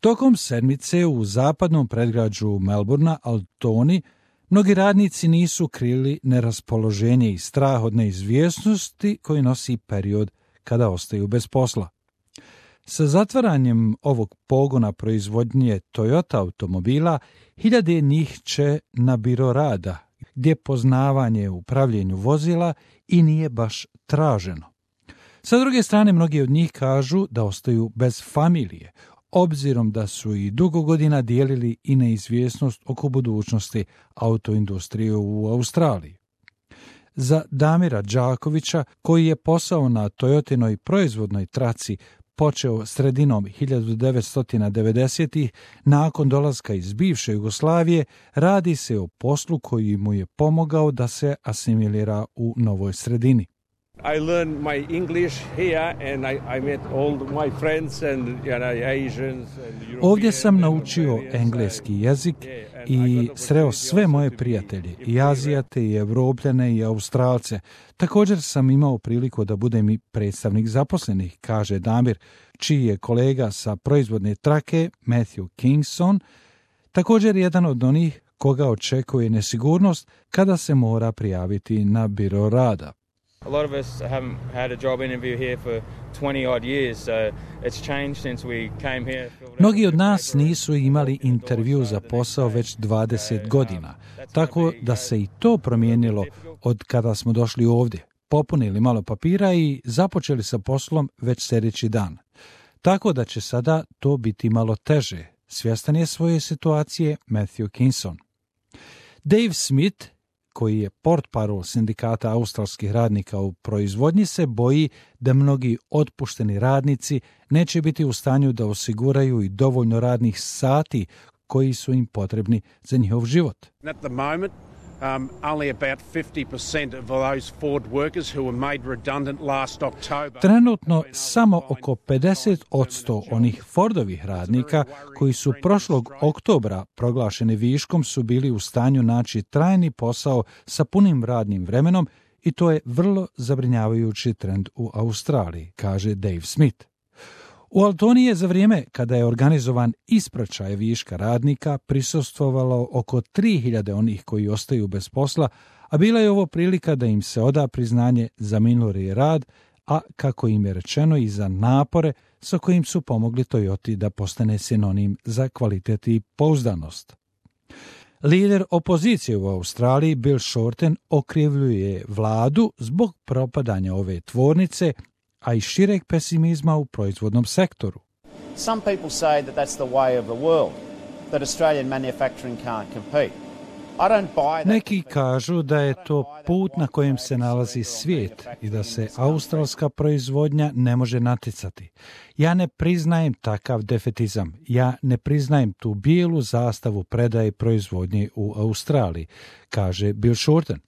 Tokom sedmice u zapadnom predgrađu Melbourna, Altoni, mnogi radnici nisu krili neraspoloženje i strah od neizvjesnosti koji nosi period kada ostaju bez posla. Sa zatvaranjem ovog pogona proizvodnje Toyota automobila, hiljade njih će na biro rada, gdje poznavanje u upravljanju vozila i nije baš traženo. Sa druge strane, mnogi od njih kažu da ostaju bez familije, obzirom da su i dugo godina dijelili i neizvjesnost oko budućnosti autoindustrije u Australiji. Za Damira Đakovića, koji je posao na Toyotinoj proizvodnoj traci počeo sredinom 1990-ih, nakon dolaska iz bivše Jugoslavije, radi se o poslu koji mu je pomogao da se asimilira u novoj sredini. I learned my English here and I met all my friends and Asians and Europeans. Ovdje sam naučio engleski jezik i sreo sve moje prijatelje, i Azijate, i Evropljane, i Australce. Također sam imao priliku da budem i predstavnik zaposlenih, kaže Damir, čiji je kolega sa proizvodne trake, Matthew Kingston, također jedan od onih koga očekuje nesigurnost kada se mora prijaviti na biro rada. A lot of us haven't had a job interview here for 20 odd years, so it's changed since we came here. Mnogi od nas nisu imali intervju za posao već 20 godina, tako da se i to promijenilo od kada smo došli ovdje. Popunili malo papira i započeli sa poslom već sljedeći dan. Tako da će sada to biti malo teže. Svjestan je svoje situacije Matthew Kingston. Dave Smith, koji je portparol sindikata australskih radnika u proizvodnji, se boji da mnogi otpušteni radnici neće biti u stanju da osiguraju i dovoljno radnih sati koji su im potrebni za njihov život. At the moment, only about 50% of those Ford workers who were made redundant last October. Trenutno samo oko 50% onih Fordovih radnika koji su prošlog oktobra proglašeni viškom su bili u stanju naći trajni posao sa punim radnim vremenom i to je vrlo zabrinjavajući trend u Australiji, kaže Dave Smith. U Altoni je za vrijeme kada je organizovan ispraćaj viška radnika prisustvovalo oko 3000 onih koji ostaju bez posla, a bila je ovo prilika da im se oda priznanje za minuli rad, a kako im je rečeno i za napore sa kojim su pomogli Toyoti da postane sinonim za kvalitet i pouzdanost. Lider opozicije u Australiji Bill Shorten okrivljuje vladu zbog propadanja ove tvornice, a i šireg pesimizma u proizvodnom sektoru. Some people say that that's the way of the world, that Australian manufacturing can't compete. I don't buy that. Neki kažu da je to put na kojem se nalazi svijet i da se australska proizvodnja ne može natjecati. Ja ne priznajem takav defetizam. Ja ne priznajem tu bijelu zastavu predaje proizvodnje u Australiji, kaže Bill Shorten.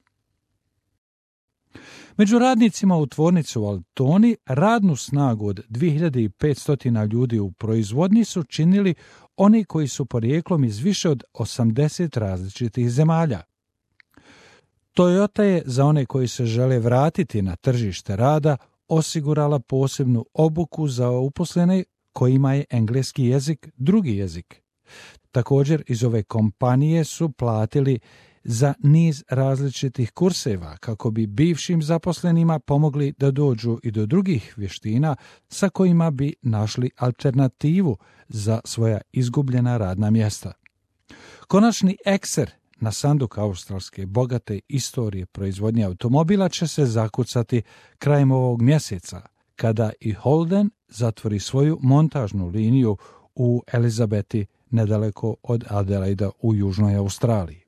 Među radnicima u tvornici u Altoni radnu snagu od 2500 ljudi u proizvodnji su činili oni koji su porijeklom iz više od 80 različitih zemalja. Toyota je za one koji se žele vratiti na tržište rada osigurala posebnu obuku za uposlene kojima je engleski jezik drugi jezik. Također iz ove kompanije su platili za niz različitih kurseva kako bi bivšim zaposlenima pomogli da dođu i do drugih vještina sa kojima bi našli alternativu za svoja izgubljena radna mjesta. Konačni ekser na sanduk australske bogate istorije proizvodnje automobila će se zakucati krajem ovog mjeseca, kada i Holden zatvori svoju montažnu liniju u Elizabeti nedaleko od Adelaida u Južnoj Australiji.